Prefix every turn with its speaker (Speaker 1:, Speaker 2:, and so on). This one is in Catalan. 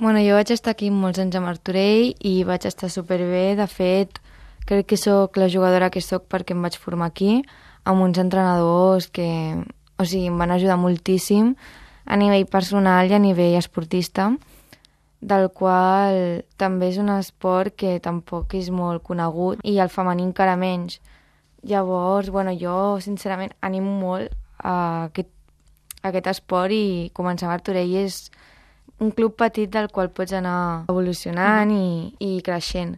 Speaker 1: Bueno, jo vaig estar aquí molts anys a Martorell i vaig estar superbé. De fet, crec que sóc la jugadora que sóc perquè em vaig formar aquí, amb uns entrenadors que, o sigui, em van ajudar moltíssim a nivell personal i a nivell esportista, del qual també és un esport que tampoc és molt conegut i el femení encara menys. Llavors, bueno, jo sincerament animo molt a aquest esport i començar a Martorell és un club petit del qual pots anar evolucionant i creixent.